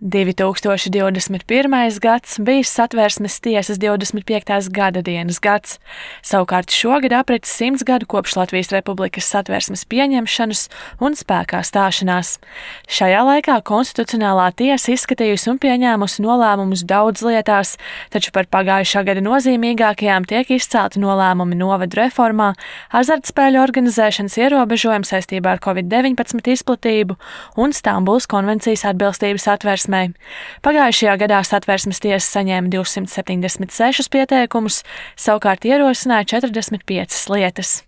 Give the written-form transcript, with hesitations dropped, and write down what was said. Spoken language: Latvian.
2021. gads bija Satversmes tiesas 25. gada dienas gads. Savukārt šogad apritis 100 gadu kopš Latvijas Republikas Satversmes pieņemšanas un spēkā stāšanās. Šajā laikā Konstitucionālā tiesa izskatījusi un pieņēmusi nolēmumus daudz lietās, taču par pagājušā gada nozīmīgākajām tiek izcelti nolēmumi novadu reformā, azartspēļu organizēšanas ierobežojumi saistībā ar Covid-19 izplatību un Stambulas konvencijas atbilstības Satversmei. Pagājušajā gadā Satversmes tiesa saņēma 276 pieteikumus, savukārt ierosināja 45 lietas.